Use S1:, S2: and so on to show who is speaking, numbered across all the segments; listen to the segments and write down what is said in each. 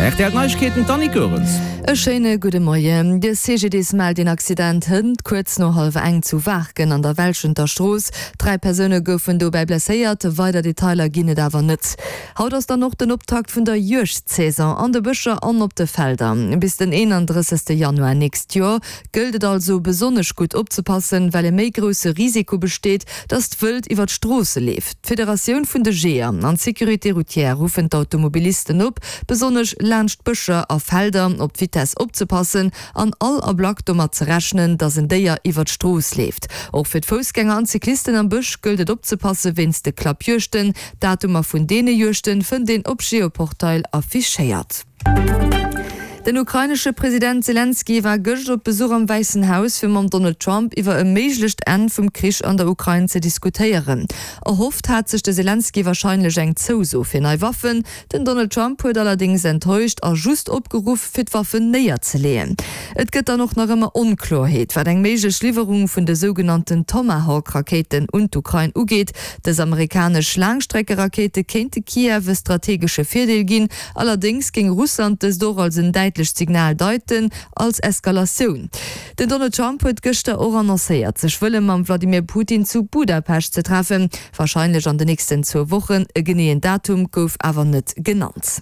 S1: Rtl Neiegkeeten, d'Annick Goerens.
S2: E schéine gudde Moien. De CGDIS mellt een Accident hënt kuerz no hallwer eng zu Waarken an der Welschenter Strooss. 3 Persoune goufen dobäi blesséiert, weider Detailer ginn et awer net. Haut ass dann och den Optakt vun der Juegdsaison an de Bëscher an op de Felder. Bis den 31 Januar nächst Joer gëllt et also besonnesch gutt opzepassen, well e méi grousse Risiko besteet, datt d'Wëld iwwer d'Stroosse leeft. D'Federatioun vun de Jeeër an d'Sécurité routière ruffen d'Automobilisten op, besonnesch laanscht Bëscher a Felder op d'Vitess opzepassen an all Ablack domat ze rechnen, datt en Déier iwwer d'Strooss leeft. Och fir d'Foussgänger an d'Cyclisten am Bësch gëllt et opzepasse wéinst de Klappjuegten. D'Datumer vun deene Juegten fënnt een op Geoportail affichéiert. Den ukrainesche President Selenskyj war gëscht op Besuch am Wäissen Haus, fir mam Donald Trump iwwer e méiglecht Enn vum Krich an der Ukrain ze diskutéieren. Erhofft hat sech de Selenskyj warscheinlech eng Zouso fir nei Waffen. Den Donald Trump huet allerdéngs enttäuscht a just opgeruff, fir d'Waffen néierzeleeën. Et gëtt dann och nach ëmmer Onkloerheet, wat eng méiglech Liwwerung vun de sougenannten Tomahawk-Rakéiten un d'Ukrain ugeet. Dës amerikanesch Laangstreckerakéite kéinte Kiew e strategesche Virdeel ginn. Allerdéngs géing Russland dëst och als en däitlecht Signal deiten, als Eskalatioun. Den Donald Trump huet gëschter och annoncéiert, sech wëlle mam Vladimir Putin zu Budapescht ze treffen, warscheinlech an de nächsten zwou Wochen. E geneeën Datum gouf awer net genannt.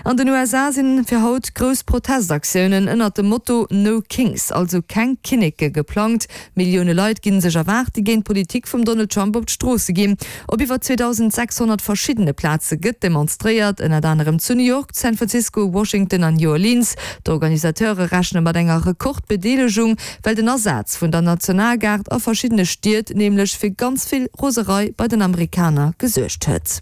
S2: An den USA sinn fir haut grouss Protestaktiounen ënnert dem Motto No Kings, also keng Kinneke geplangt. Millioune Leit ginn sech erwaart, déi géint d'Politik vum Donald Trump op d'Stroosse ginn. Op iwwer 2.600 verschiddene Plaze gëtt demonstréiert, ënnert anerem zu New York, San Francisco, Washington an New Orleans. D'Organisateure rechne mat enger Rekordbedeelegung, well den Asaz vun der Nationalgard a verschiddene Stied nämlech fir ganz vill Roserei bei den Amerikaner gesuergt huet.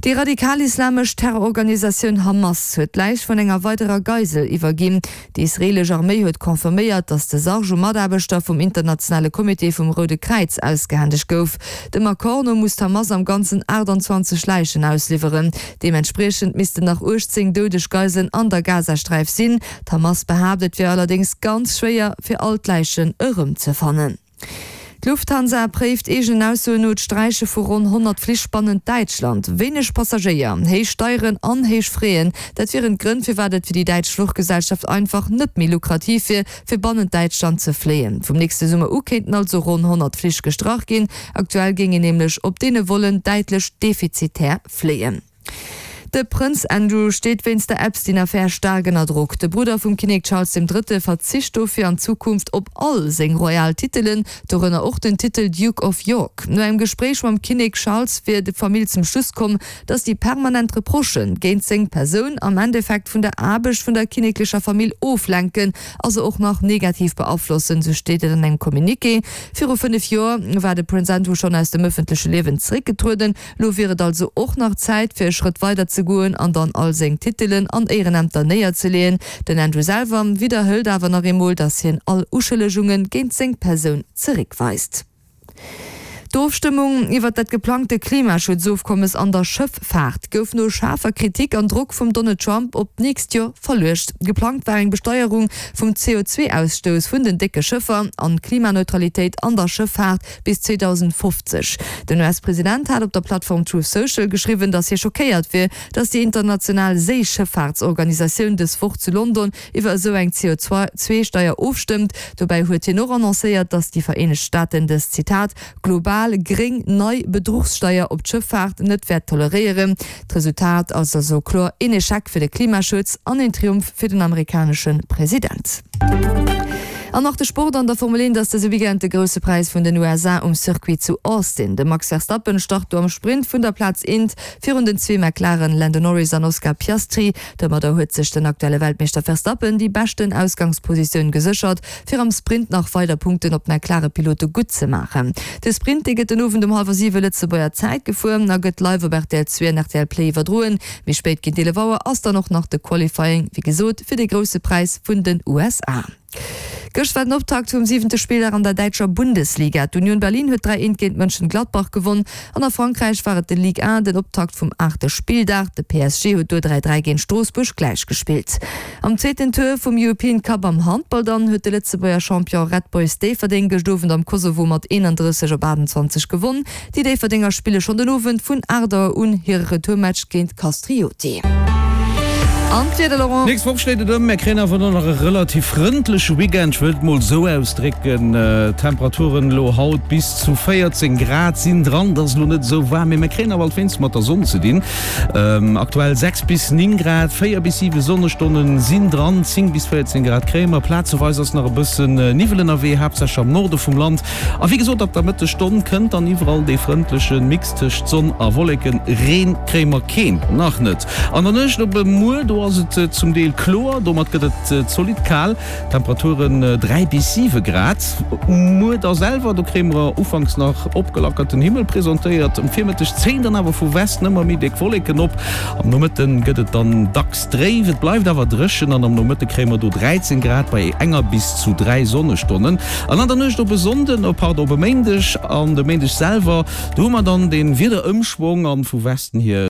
S2: Déi radikal-islamesch Terrororganisatioun Hamas huet d'Läich vun enger weiderer Geisel iwwerginn. Déi israeelesch Arméi huet confirméiert, datt de Sarg u Mataarbechter vum Internationale Comité vum Roude Kräiz ausgehändegt gouf. Dem Accord no muss d'Hamas am Ganzen 28 Läichen ausliwweren. Deementspriechend missten nach 18 doudeg Geiselen an der Gazasträif sinn. D'Hamas behaapt, et wier allerdéngs ganz schwéier, fir all d'Läichen erëmzefannen. D'Lufthansa préift eegenen Aussoen no d'Sträiche vu ronn 100 Flich bannent Däitschland. Wéineg Passagéier, héich Steieren an héich Fräen, dat wieren d'Grënn, firwat et fir déi däitsch Fluchgesellschaft einfach net méi lukrativ wier, fir bannent Däitschland ze fléien. Vum nächste Summer u kéinten also ronn 100 Flich gestrach ginn. Aktuell géing een nämlech op deene Vollen däitlech defizitär fléien. De Prënz Andrew steet wéinst der Epstein-Affär staark ënner Drock. De Brudder vum Kinnek Charles dem Drëtte verzicht dofir an Zukunft op all seng royal Titelen, dorënner och den Titel Duke of York. No engem Gespréich mam Kinnek Charles wier d'Famill zum Schluss komm, datt déi permanent Reprochë géint seng Persoun am Endeffekt vun der Aarbecht vun der kinneklecher Famill oflenken a se och nach negativ beaflossen, sou steet et an engem Communiqué. Viru 5 Joer war de Prënz Andrew schonn aus dem ëffentleche Liewen zeréckgetrueden. Lo wier et also och nach Zäit fir e Schrëtt weider ze goen an dann all seng Titelen an Éierenämter néierzeleeën. Den Andrew selwer widderhëlt awer nach eemol, datt hien all Uschëllegunge géint seng Persoun zeréckweist. D'Ofstëmmung iwwer dat geplangte Klimaschutzofkommes an der Schëffaart gouf no schaarfer Kritik an Drock vum Donald Trump op d'nächst Joer verluecht. Geplangt war eng Besteierung vum CO2-Ausstouss vun den décke Schëffer an Klimaneutralitéit an der Schëffaart bis 2050. Den US-President hat op der Plattform Truth Social geschriwwen, datt hie schockéiert wier, datt déi international Séischëffaartsorganisatioun dës Woch zu London iwwer esou eng CO2-Steier ofstëmmt. Dobäi huet hien och annoncéiert, datt déi Vereenegt Staaten dës, Zitat, global gréng nei Bedruchssteier op d'Schëffaart net wäert toleréieren. D'Resultat ass also kloer een Echec fir de Klimaschutz an een Triumph fir den amerikanesche President. An nach de Sport, An der Formel 1 ass dëse Weekend de Grousse Präis vun den USA um Circuit zu Austin. De Max Verstappen start do am Sprint vun der Plaz eent virun den zwee McLaren Lando Norris an Oscar Piastri. Domadder huet sech den aktuelle Weltmeeschter Verstappen déi beschten Ausgangspositioun geséchert, fir am Sprint nach weider Punkten op d'McLaren-Pilote gutt ze maachen. De Sprint, dee gëtt den Owend um hallwer 7 Lëtzebuerger Zäit gefuer a gëtt live op rtl 2 an rtl Play iwwerdroen. Méi spéit géint 11 Auer ass dann och nach de Qualifying, wéi gesot, fir de Grousse Präis vun den USA. Gëscht war den Optakt vum siwente Spilldag an der däitscher Bundesliga. D'Union Berlin huet 3, 1 géint Mönchengladbach gewonn an a Frankräich war et de Ligue 1 den Optakt vum aachte Spilldag. De PSG huet do 3, 3 géint Stroossbuerg gläich gespillt. Am zweeten Tour vum European Cup am Handball dann huet de Lëtzebuerger Champion Red Boys Déifferdeng gëscht Owend am Kosovo mat 31 op 28 gewonn. Déi Déifferdenger spille schonn den Owend vun 8 Auer un hire Retourmatch géint Kastrioti. An d'Wieder, Laurent?
S1: D'nächst Woch schléit et ëm, mär kréien awer dann nach e relativ frëndleche Weekend, ech wëll et mol esou ausdrécken. Temperaturen elo haut bis zu 14 Grad sinn dran, et ass elo net esou waarm, mee mär kréien awer alt wéinst mat der Sonn ze dinn. Aktuell 6 bis 9 Grad, 4 bis 7 Sonnestonne sinn dran, 10 bis 14 Grad kréie mer. Plazeweis ass nach e bëssen Niwwel ënnerwee, haaptsächlech am Norde vum Land. A wéi gesot, ab der Mëttesstonn kënnt dann iwwerall dee frëndleche Mix tëscht Sonn a Wolleken. Reen kréie mer keen, nach net. An der Nuecht op e Muer, do ass et zum Deel kloer, domat gëtt et zolidd kal, Temperaturen 3 bis 7 Grad. Um Muer da selwer, do kréie mer ufanks nach opgelackerten Himmel presentéiert, um Virmëtteg zéien dann awer vu Westen ëmmer méi déck Wolleken op. Am Nomëtte gëtt et dann dacks dréif, et bleift awer dréchen an am Nomëtte kréie mer do 13 Grad bei enger bis zu 3 Sonnestonnen. An an der Nuecht op e Sonnden, oh pardon, op e Méindeg an de Méindeg selwer, do hu mer dann de Wiederëmschwong an vu Westen hier.